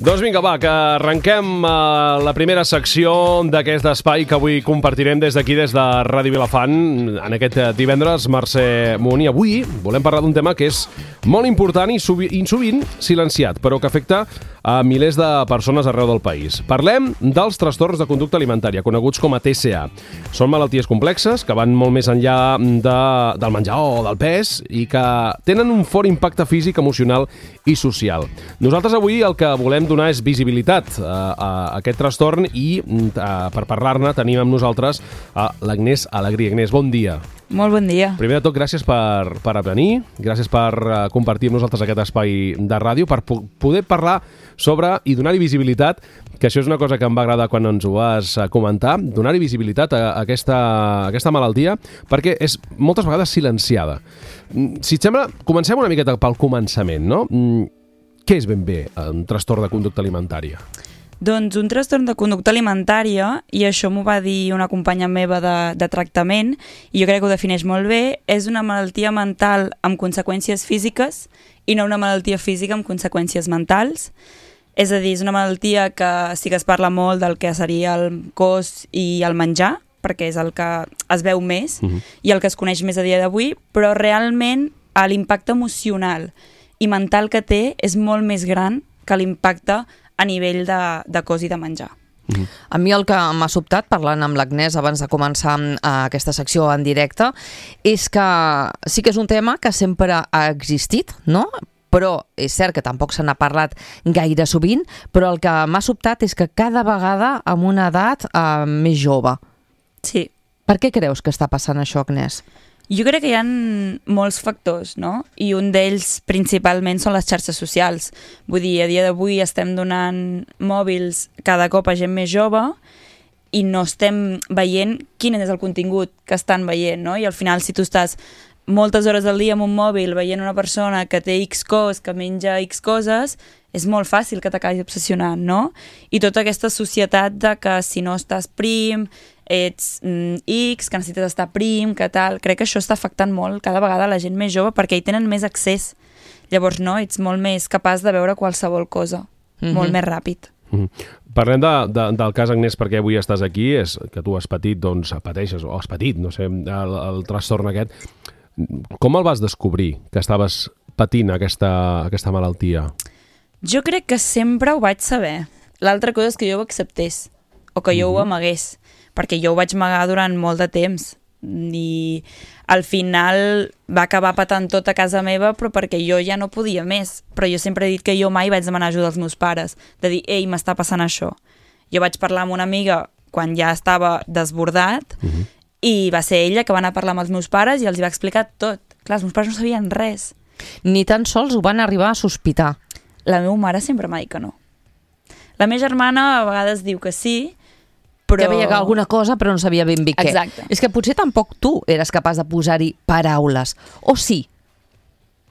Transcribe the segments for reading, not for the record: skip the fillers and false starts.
Doncs vinga, va, que arrenquem la primera secció d'aquest espai que avui compartirem des d'aquí, des de Ràdio Vilafant, en aquest divendres, Mercè Munt. I avui volem parlar d'un tema que és molt important i sovint silenciat, però que afecta a milers de persones arreu del país. Parlem dels trastorns de conducta alimentària, coneguts com a TCA. Són malalties complexes que van molt més enllà del menjar o del pes i que tenen un fort impacte físic, emocional i social. Nosaltres avui el que volem donar és visibilitat a aquest trastorn i per parlar-ne tenim amb nosaltres l'Agnès Alegrí. Agnès, bon dia. Molt bon dia. Primer de tot, gràcies per venir, gràcies per compartir amb nosaltres aquest espai de ràdio, per poder parlar sobre i donar-hi visibilitat, que això és una cosa que em va agradar quan ens ho vas comentar, donar-hi visibilitat a aquesta malaltia, perquè és moltes vegades silenciada. Si et sembla, comencem una miqueta pel començament, no? Què és ben bé un trastorn de conducta alimentària? Doncs un trastorn de conducta alimentària, i això m'ho va dir una companya meva de tractament, i jo crec que ho defineix molt bé, és una malaltia mental amb conseqüències físiques i no una malaltia física amb conseqüències mentals. És a dir, és una malaltia que sí que es parla molt del que seria el cos i el menjar, perquè és el que es veu més i el que es coneix més a dia d'avui, però realment l'impacte emocional i mental que té és molt més gran que l'impacte a nivell de cos i de menjar. A mi el que m'ha sobtat, parlant amb l'Agnès abans de començar aquesta secció en directe, és que sí que és un tema que sempre ha existit, no? Però és cert que tampoc se n'ha parlat gaire sovint, però el que m'ha sobtat és que cada vegada amb una edat més jove. Sí. Per què creus que està passant això, Agnès? Jo crec que hi ha molts factors, no? I un d'ells principalment són les xarxes socials. Vull dir, a dia d'avui estem donant mòbils cada cop a gent més jove i no estem veient quin és el contingut que estan veient, no? I al final, si tu estàs moltes hores al dia amb un mòbil veient una persona que té X cos, que menja X coses, és molt fàcil que t'acabis obsessionant, no? I tota aquesta societat de que si no estàs prim, ets X, que necessites estar prim, que tal. Crec que això està afectant molt cada vegada la gent més jove perquè hi tenen més accés. Llavors, no, ets molt més capaç de veure qualsevol cosa, molt més ràpid. Parlem del cas, Agnès, perquè avui estàs aquí, és que tu has patit, doncs, pateixes, o has patit, no sé, el trastorn aquest. Com el vas descobrir, que estaves patint aquesta malaltia? Jo crec que sempre ho vaig saber. L'altra cosa és que jo ho acceptés, o que jo ho amagués, perquè jo ho vaig amagar durant molt de temps i al final va acabar patant tot a casa meva, però perquè jo ja no podia més. Però jo sempre he dit que jo mai vaig demanar ajuda als meus pares, de dir, ei, m'està passant això. Jo vaig parlar amb una amiga quan ja estava desbordat i va ser ella que va anar a parlar amb els meus pares i els hi va explicar tot. Clar, els meus pares no sabien res. Ni tan sols ho van arribar a sospitar. La meva mare sempre m'ha dit que no. La meva germana a vegades diu que sí, però... Que veia que alguna cosa, però no sabia ben bé què. Exacte. És que potser tampoc tu eres capaç de posar-hi paraules. O sí?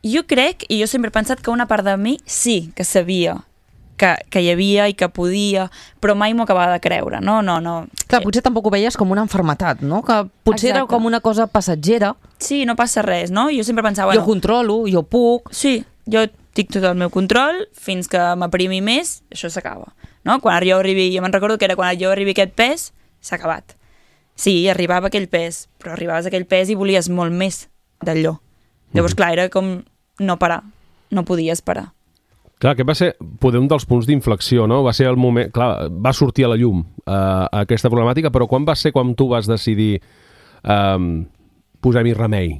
Jo crec, i jo sempre he pensat que una part de mi sí que sabia que hi havia i que podia, però mai m'ho acabava de creure. No. Clar, potser tampoc ho veies com una malaltia, no? Que potser era com una cosa passatgera. Sí, no passa res, no? Jo sempre pensava... Jo controlo, jo puc... Sí, jo tinc tot el meu control, fins que m'aprimi més, això s'acaba. No? Quan jo arribi, jo me'n recordo que era quan jo arribi a aquest pes, s'ha acabat. Sí, arribava a aquell pes, però arribaves a aquell pes i volies molt més d'allò. Llavors, clar, era com no parar, no podies parar. Clar, aquest va ser poder un dels punts d'inflexió, no? Va ser el moment... Clar, va sortir a la llum aquesta problemàtica, però quan va ser quan tu vas decidir posar-hi remei?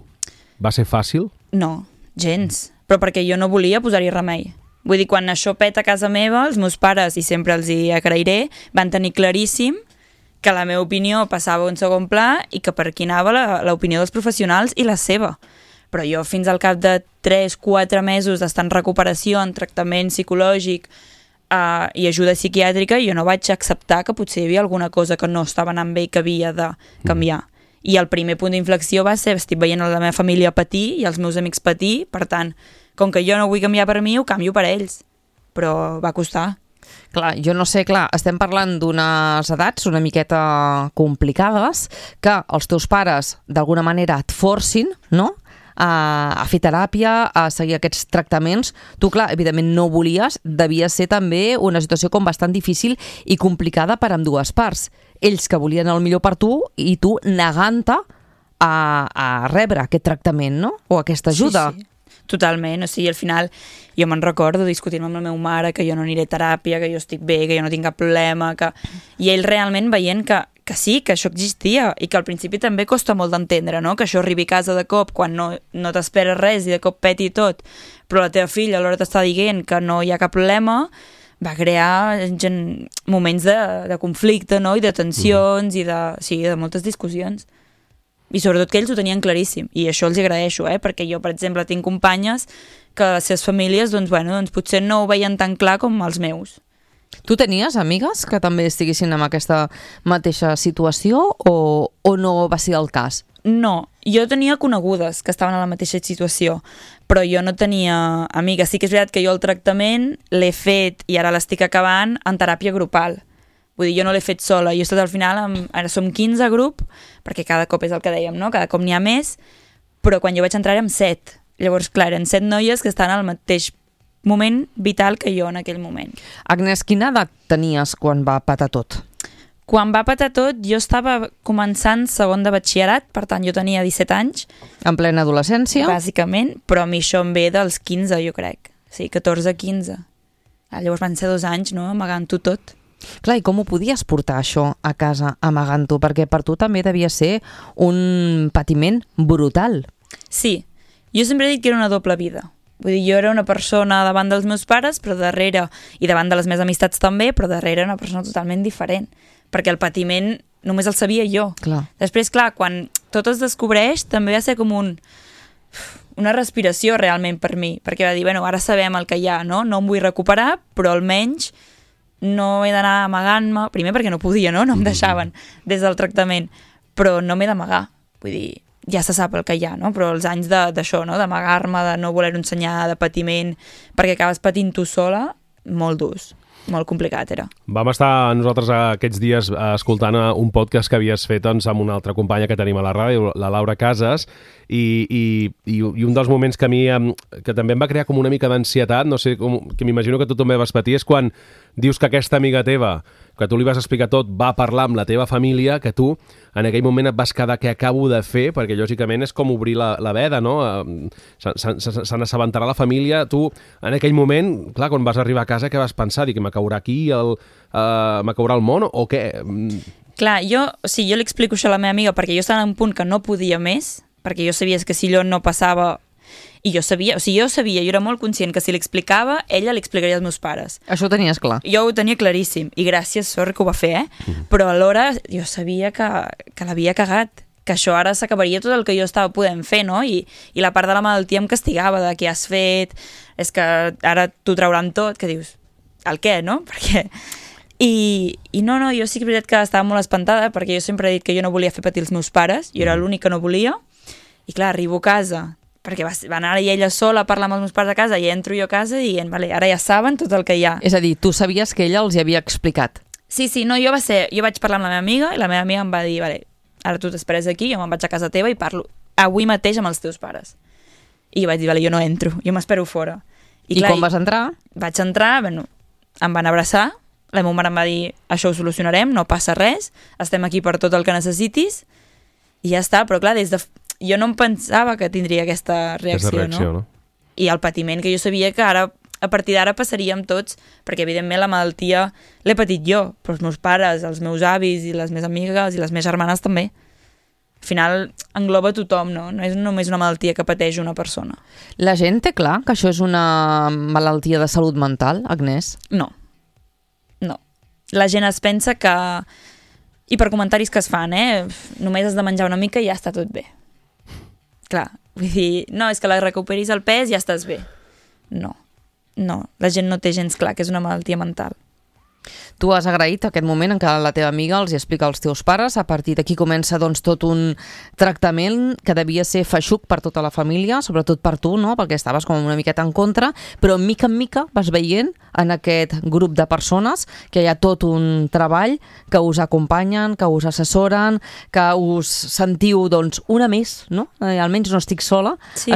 Va ser fàcil? No, gens. Però perquè jo no volia posar-hi remei. Vull dir, quan això peta a casa meva, els meus pares, i sempre els hi agrairé, van tenir claríssim que la meva opinió passava a un segon pla i que per aquí anava l'opinió dels professionals i la seva. Però jo fins al cap de 3-4 mesos d'estar en recuperació, en tractament psicològic i ajuda psiquiàtrica, jo no vaig acceptar que potser hi havia alguna cosa que no estava anant bé i que havia de canviar. I el primer punt d'inflexió va ser, estic veient la meva família patir i els meus amics patir, per tant, com que jo no vull canviar per mi, ho canvio per ells. Però va costar. Clar, jo no sé, estem parlant d'unes edats una miqueta complicades, que els teus pares d'alguna manera et forcin, no?, a fer teràpia, a seguir aquests tractaments. Tu, clar, evidentment no volies, devia ser també una situació com bastant difícil i complicada per ambdues parts. Ells que volien el millor per tu i tu negant-te a rebre aquest tractament, no? O aquesta ajuda. Sí. Totalment, o sigui, al final jo me'n recordo discutint amb la meva mare que jo no aniré a teràpia, que jo estic bé, que jo no tinc cap problema, i ell realment veient que sí, que això existia i que al principi també costa molt d'entendre, no? Que això arribi a casa de cop quan no t'esperes res i de cop peti tot, però la teva filla alhora t'està dient que no hi ha cap problema, va crear moments de conflicte, no? I de tensions i de moltes discussions. I sobretot que ells ho tenien claríssim, i això els agraeixo, perquè jo, per exemple, tinc companyes que les seves famílies doncs potser no ho veien tan clar com els meus. Tu tenies amigues que també estiguessin en aquesta mateixa situació o no va ser el cas? No, jo tenia conegudes que estaven en la mateixa situació, però jo no tenia amigues. Sí que és veritat que jo el tractament l'he fet, i ara l'estic acabant, en teràpia grupal. Vull dir, jo no l'he fet sola, jo he estat al final, ara som 15 a grup, perquè cada cop és el que dèiem, no? Cada cop n'hi ha més, però quan jo vaig entrar érem 7. Llavors, clar, eren 7 noies que estan al mateix moment vital que jo en aquell moment. Agnès, quina edat tenies quan va patar tot? Quan va patar tot, jo estava començant segon de batxillerat, per tant, jo tenia 17 anys. En plena adolescència? Bàsicament, però a mi això em ve dels 15, jo crec. Sí, 14-15. Llavors van ser 2 anys, no?, amagant-ho tot. Clar, i com ho podies portar això a casa amagant-ho? Perquè per tu també devia ser un patiment brutal. Sí, jo sempre he dit que era una doble vida. Vull dir, jo era una persona davant dels meus pares, però darrere, i davant de les meves amistats també, però darrere una persona totalment diferent. Perquè el patiment només el sabia jo. Clar. Després, clar, quan tot es descobreix, també va ser com una respiració realment per mi, perquè va dir, bueno, ara sabem el que hi ha, no? No em vull recuperar, però almenys no he d'anar amagant-me, primer perquè no podia, no em deixaven des del tractament, però no m'he d'amagar, vull dir, ja se sap el que hi ha, no? Però els anys d'això, no? D'amagar-me, de no voler-ho ensenyar, de patiment, perquè acabes patint tu sola, molt durs, molt complicat era. Vam estar nosaltres aquests dies escoltant un podcast que havies fet doncs, amb una altra companya que tenim a la ràdio, la Laura Casas, i un dels moments que a mi que també em va crear com una mica d'ansietat, no sé, que m'imagino que tu també vas patir, és quan dius que aquesta amiga teva, que tu li vas explicar tot, va parlar amb la teva família, que tu en aquell moment et vas quedar què acabo de fer, perquè lògicament és com obrir la veda, no? Se n'assabentarà la família. Tu en aquell moment, clar, quan vas arribar a casa, què vas pensar? Dir que me caurà aquí, me caurà el món o què? Clar, jo li explico això a la meva amiga perquè jo estava en un punt que no podia més, perquè jo sabia que si allò no passava, i jo sabia, jo era molt conscient que si l'explicava, ella li explicaria als meus pares. Això ho tenies clar? Jo ho tenia claríssim, i gràcies, sort que ho va fer, però alhora jo sabia que l'havia cagat, que això ara s'acabaria tot el que jo estava podent fer, no? I la part de la malaltia em castigava de què has fet, és que ara t'ho trauran tot, que dius, el què, no? Perquè... I no, jo sí que és veritat que estava molt espantada, perquè jo sempre he dit que jo no volia fer patir els meus pares, jo era l'únic que no volia, i clar, arribo a casa, perquè va anar ella sola a parlar amb els meus pares a casa, i entro jo a casa dient, vale, ara ja saben tot el que hi ha. És a dir, tu sabies que ella els hi havia explicat. Sí, no, jo vaig parlar amb la meva amiga, i la meva amiga em va dir, vale, ara tu t'esperes aquí, jo me'n vaig a casa teva i parlo avui mateix amb els teus pares. I vaig dir, vale, jo no entro, jo m'espero fora. I clar, com vas entrar? Vaig entrar, bueno, em van abraçar, la meva mare em va dir, això ho solucionarem, no passa res, estem aquí per tot el que necessitis, i ja està, però clar, jo no em pensava que tindria aquesta reacció, no? I el patiment que jo sabia que ara, a partir d'ara passaríem tots, perquè evidentment la malaltia l'he patit jo, però els meus pares, els meus avis i les meves amigues i les meves germanes també. Al final engloba tothom, no? No és només una malaltia que pateix una persona. La gent té clar que això és una malaltia de salut mental, Agnès? No. La gent es pensa que... I per comentaris que es fan, només has de menjar una mica i ja està tot bé. Clar, vull dir, no, és que la recuperis el pes i ja estàs bé. No, la gent no té gens clar que és una malaltia mental. Tu has agraït aquest moment en què la teva amiga els hi explica als teus pares, a partir d'aquí comença doncs, tot un tractament que devia ser feixuc per tota la família, sobretot per tu, no? Perquè estaves com una miqueta en contra, però mica en mica vas veient en aquest grup de persones que hi ha tot un treball que us acompanyen, que us assessoren, que us sentiu doncs, una més, no? Almenys no estic sola, Sí.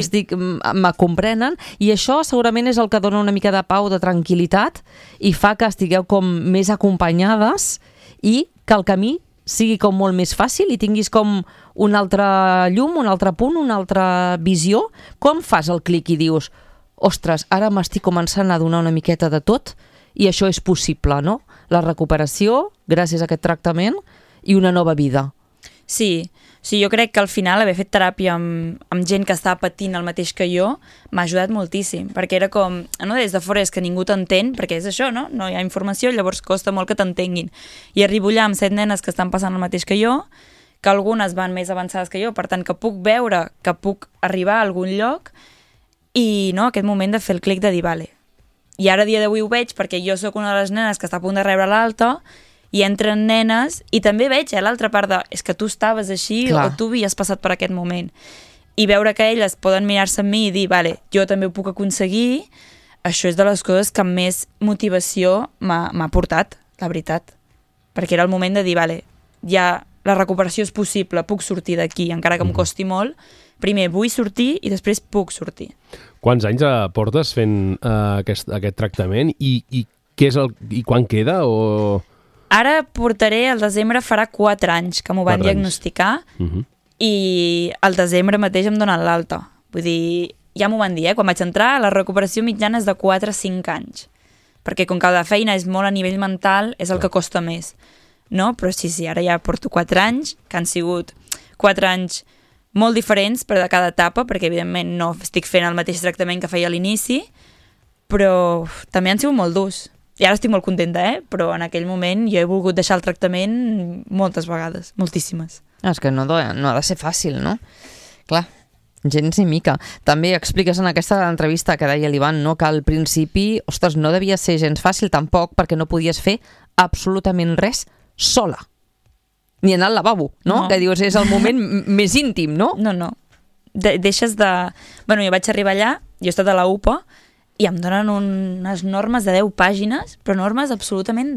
me comprenen, i això segurament és el que dona una mica de pau, de tranquil·litat, i fa que estigueu com més acompanyades i que el camí sigui com molt més fàcil i tinguis com un altre llum, un altre punt, una altra visió. Com fas el clic i dius, ostres, ara m'estic començant a donar una miqueta de tot i això és possible, no? La recuperació, gràcies a aquest tractament, i una nova vida. Sí, jo crec que al final haver fet teràpia amb gent que estava patint el mateix que jo m'ha ajudat moltíssim, perquè era com, no, des de fora és que ningú t'entén, perquè és això, no? No hi ha informació, llavors costa molt que t'entenguin. I arribo allà amb 7 nenes que estan passant el mateix que jo, que algunes van més avançades que jo, per tant que puc veure, que puc arribar a algun lloc, i no, aquest moment de fer el clic de dir, vale. I ara a dia d'avui ho veig perquè jo sóc una de les nenes que està a punt de rebre l'alta, i entren nenes, i també veig l'altra part de, és que tu estaves així, Clar. o tu havies passat per aquest moment. I veure que elles poden mirar-se en mi i dir, vale, jo també ho puc aconseguir, això és de les coses que més motivació m'ha portat, la veritat. Perquè era el moment de dir, vale, ja la recuperació és possible, puc sortir d'aquí, encara que em costi molt, primer vull sortir i després puc sortir. Quants anys portes fent aquest tractament i què és i quan queda? O... Ara portaré, al desembre farà 4 anys que m'ho van 4 anys. diagnosticar i al desembre mateix em donen l'alta. Vull dir, ja m'ho van dir, quan vaig entrar, la recuperació mitjana és de 4 a 5 anys. Perquè com que la feina és molt a nivell mental, és el que costa més. No? Però sí, ara ja porto 4 anys, que han sigut 4 anys molt diferents, però de cada etapa, perquè evidentment no estic fent el mateix tractament que feia a l'inici, però també han sigut molt durs. I ara estic molt contenta, però en aquell moment jo he volgut deixar el tractament moltes vegades, moltíssimes. És que no ha de ser fàcil, no? Clar, gens ni mica. També expliques en aquesta entrevista que deia l'Ivan, no, que al principi, ostres, no devia ser gens fàcil tampoc perquè no podies fer absolutament res sola. Ni anar al lavabo, no? No. Que dius, és el moment més íntim, no? No. Deixes de... Bueno, jo vaig arribar allà, jo he estat a la UPA, i em donen unes normes de 10 pàgines, però normes absolutament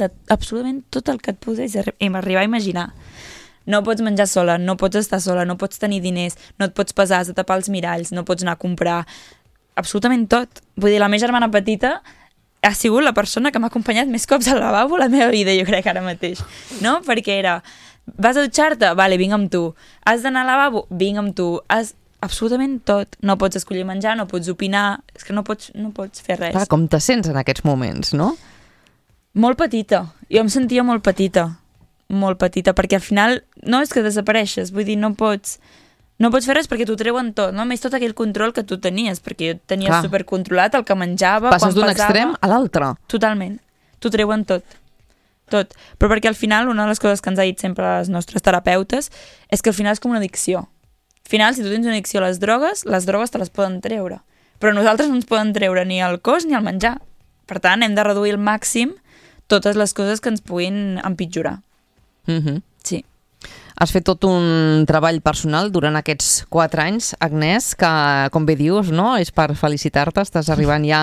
tot el que et podés arribar a imaginar. No pots menjar sola, no pots estar sola, no pots tenir diners, no et pots pesar, has de tapar els miralls, no pots anar a comprar... Absolutament tot. Vull dir, la meva germana petita ha sigut la persona que m'ha acompanyat més cops al lavabo a la meva vida, jo crec, ara mateix. No? Perquè era, vas a dutxar-te? Vale, vinc amb tu. Has d'anar al lavabo? Vinc amb tu. Absolutament tot. No pots escollir menjar, no pots opinar, és que no pots fer res. Clar, com te sents en aquests moments, no? Molt petita. Jo em sentia molt petita, perquè al final no és que desapareixes, vull dir, no pots fer res perquè t'ho treuen tot, no? A més, tot aquell control que tu tenies, perquè jo tenia supercontrolat el que menjava, passes d'un extrem a l'altre. Totalment. T'ho treuen tot. Però perquè al final, una de les coses que ens ha dit sempre les nostres terapeutes és que al final és com una addicció. Al final, si tu tens una addicció a les drogues te les poden treure. Però nosaltres no ens poden treure ni el cos ni el menjar. Per tant, hem de reduir al màxim totes les coses que ens puguin empitjorar. Sí. Has fet tot un treball personal durant aquests 4 anys, Agnès, que, com bé dius, no? És per felicitar-te, estàs arribant ja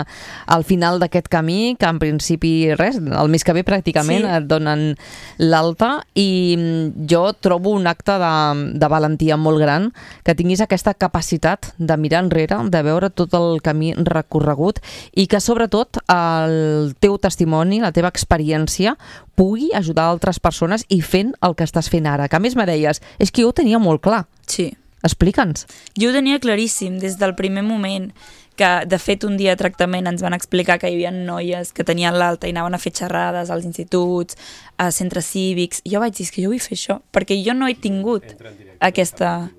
al final d'aquest camí, que en principi res, el mes que ve pràcticament et donen l'alta, i jo trobo un acte de valentia molt gran que tinguis aquesta capacitat de mirar enrere, de veure tot el camí recorregut, i que sobretot el teu testimoni, la teva experiència, pugui ajudar altres persones i fent el que estàs fent ara. Que a més me deies, és que jo ho tenia molt clar. Sí. Explica'ns. Jo ho tenia claríssim des del primer moment, que de fet un dia de tractament ens van explicar que hi havia noies que tenien l'alta i anaven a fer xerrades als instituts, a centres cívics. Jo vaig dir, que jo vull fer això, perquè jo no he tingut aquesta...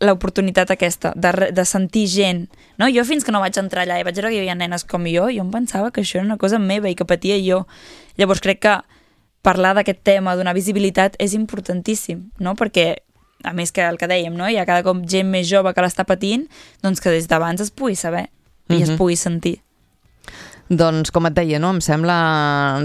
l'oportunitat aquesta de sentir gent, no? Jo fins que no vaig entrar allà i vaig veure que hi havia nenes com jo em pensava que això era una cosa meva i que patia jo. Llavors crec que parlar d'aquest tema, donar visibilitat, és importantíssim, no? Perquè, a més que el que dèiem, no? Hi ha cada cop gent més jove que l'està patint, doncs que des d'abans es pugui saber i es pugui sentir. Doncs, com et deia, no? Em sembla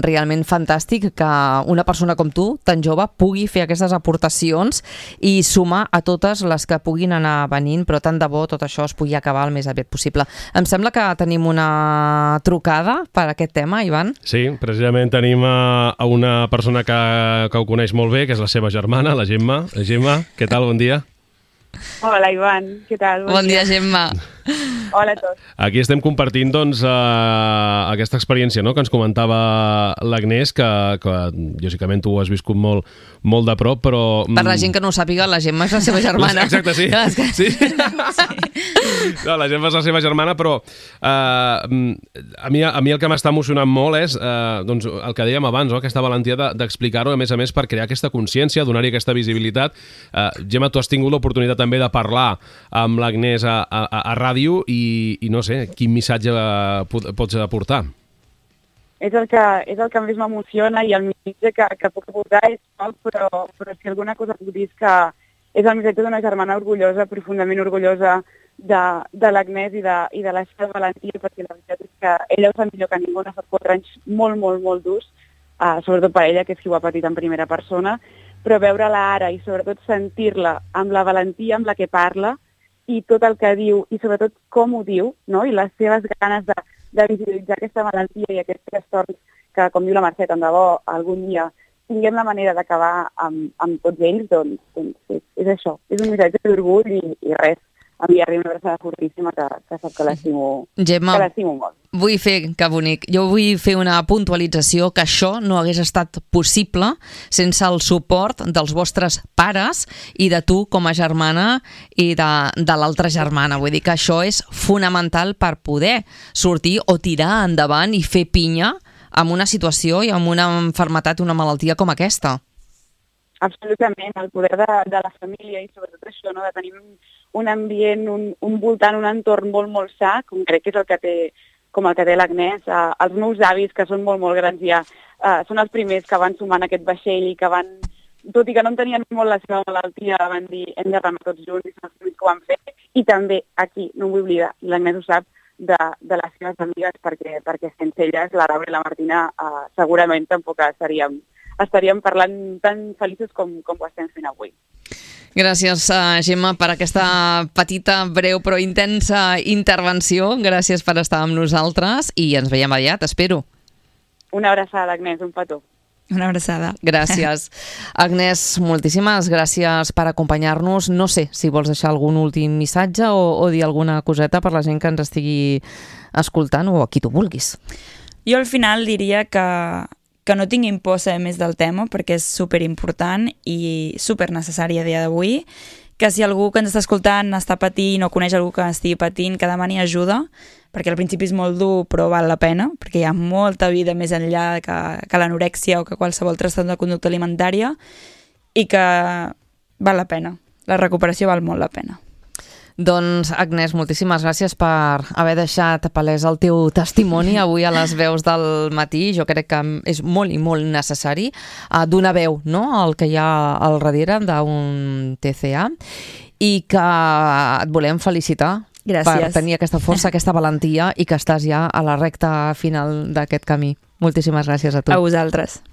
realment fantàstic que una persona com tu, tan jove, pugui fer aquestes aportacions i sumar a totes les que puguin anar venint, però tant de bo tot això es pugui acabar el més aviat possible. Em sembla que tenim una trucada per aquest tema, Ivan. Sí, precisament tenim a una persona que ho coneix molt bé, que és la seva germana, la Gemma. Gemma, què tal? Bon dia. Hola, Ivan, què tal? Bon dia, Gemma. Hola a tots. Aquí estem compartint doncs, aquesta experiència, no?, que ens comentava l'Agnès, que lògicament tu ho has viscut molt de prop, però... Per la gent que no ho sàpiga, la Gemma és la seva germana. Exacte, sí. Sí. No, la Gemma és la seva germana, però a mi el que m'està emocionant molt és doncs, el que dèiem abans, no?, aquesta valentia d'explicar-ho, a més, per crear aquesta consciència, donar-hi aquesta visibilitat. Gemma, tu has tingut l'oportunitat també de parlar amb l'Agnès a ràdio i no sé, quin missatge pots aportar? És el que més m'emociona i el missatge que puc aportar és poc, però si alguna cosa puc dir és que és el missatge d'una germana orgullosa, profundament orgullosa de l'Agnès i de la seva valentia, perquè la veritat és que ella ho sap millor que ningú, ha estat 4 anys molt, molt, molt durs, sobretot per ella, que és qui ho ha patit en primera persona, però veure-la ara i sobretot sentir-la amb la valentia amb la que parla, i tot el que diu, i sobretot com ho diu, no? I les seves ganes de visibilitzar aquesta malaltia i aquests trastorns que, com diu la Mercè, tant de bo algun dia tinguem la manera d'acabar amb tots ells, doncs és això. És un missatge d'orgull i res. Enviar-li una abraçada fortíssima que sap que l'estimo molt. Vull fer, que bonic, jo vull fer una puntualització que això no hagués estat possible sense el suport dels vostres pares i de tu com a germana i de l'altra germana. Vull dir que això és fonamental per poder sortir o tirar endavant i fer pinya amb una situació i amb una malaltia, una malaltia com aquesta. Absolutament, el poder de la família i sobretot això, no?, de tenir un ambient, un voltant, un entorn molt, molt sa, com crec que és el que té l'Agnès. Els meus avis, que són molt, molt grans ja, són els primers que van sumant aquest vaixell i que van, tot i que no entenien molt la seva malaltia, van dir hem de remar tots junts i són els primers que ho van fer. I també aquí, no m'ho vull oblidar, l'Agnès ho sap, de les seves amigues, perquè sense elles, la Laura i la Martina, segurament tampoc estaríem parlant tan feliços com ho estem fent avui. Gràcies, Gemma, per aquesta petita, breu però intensa intervenció. Gràcies per estar amb nosaltres i ens veiem aviat, espero. Una abraçada, Agnès, un petó. Una abraçada. Gràcies. Agnès, moltíssimes gràcies per acompanyar-nos. No sé si vols deixar algun últim missatge o dir alguna coseta per la gent que ens estigui escoltant o a qui tu vulguis. Jo al final diria que no tinguin por saber més del tema perquè és superimportant i supernecessari a dia d'avui, que si algú que ens està escoltant està patint o coneix algú que estigui patint, que demani ajuda, perquè al principi és molt dur però val la pena, perquè hi ha molta vida més enllà que l'anorèxia o que qualsevol trastorn de conducta alimentària i que val la pena. La recuperació val molt la pena. Doncs, Agnès, moltíssimes gràcies per haver deixat palès el teu testimoni avui a les veus del matí. Jo crec que és molt i molt necessari donar veu, no?, al que hi ha al darrere d'un TCA i que et volem felicitar. Gràcies. Per tenir aquesta força, aquesta valentia i que estàs ja a la recta final d'aquest camí. Moltíssimes gràcies a tu. A vosaltres.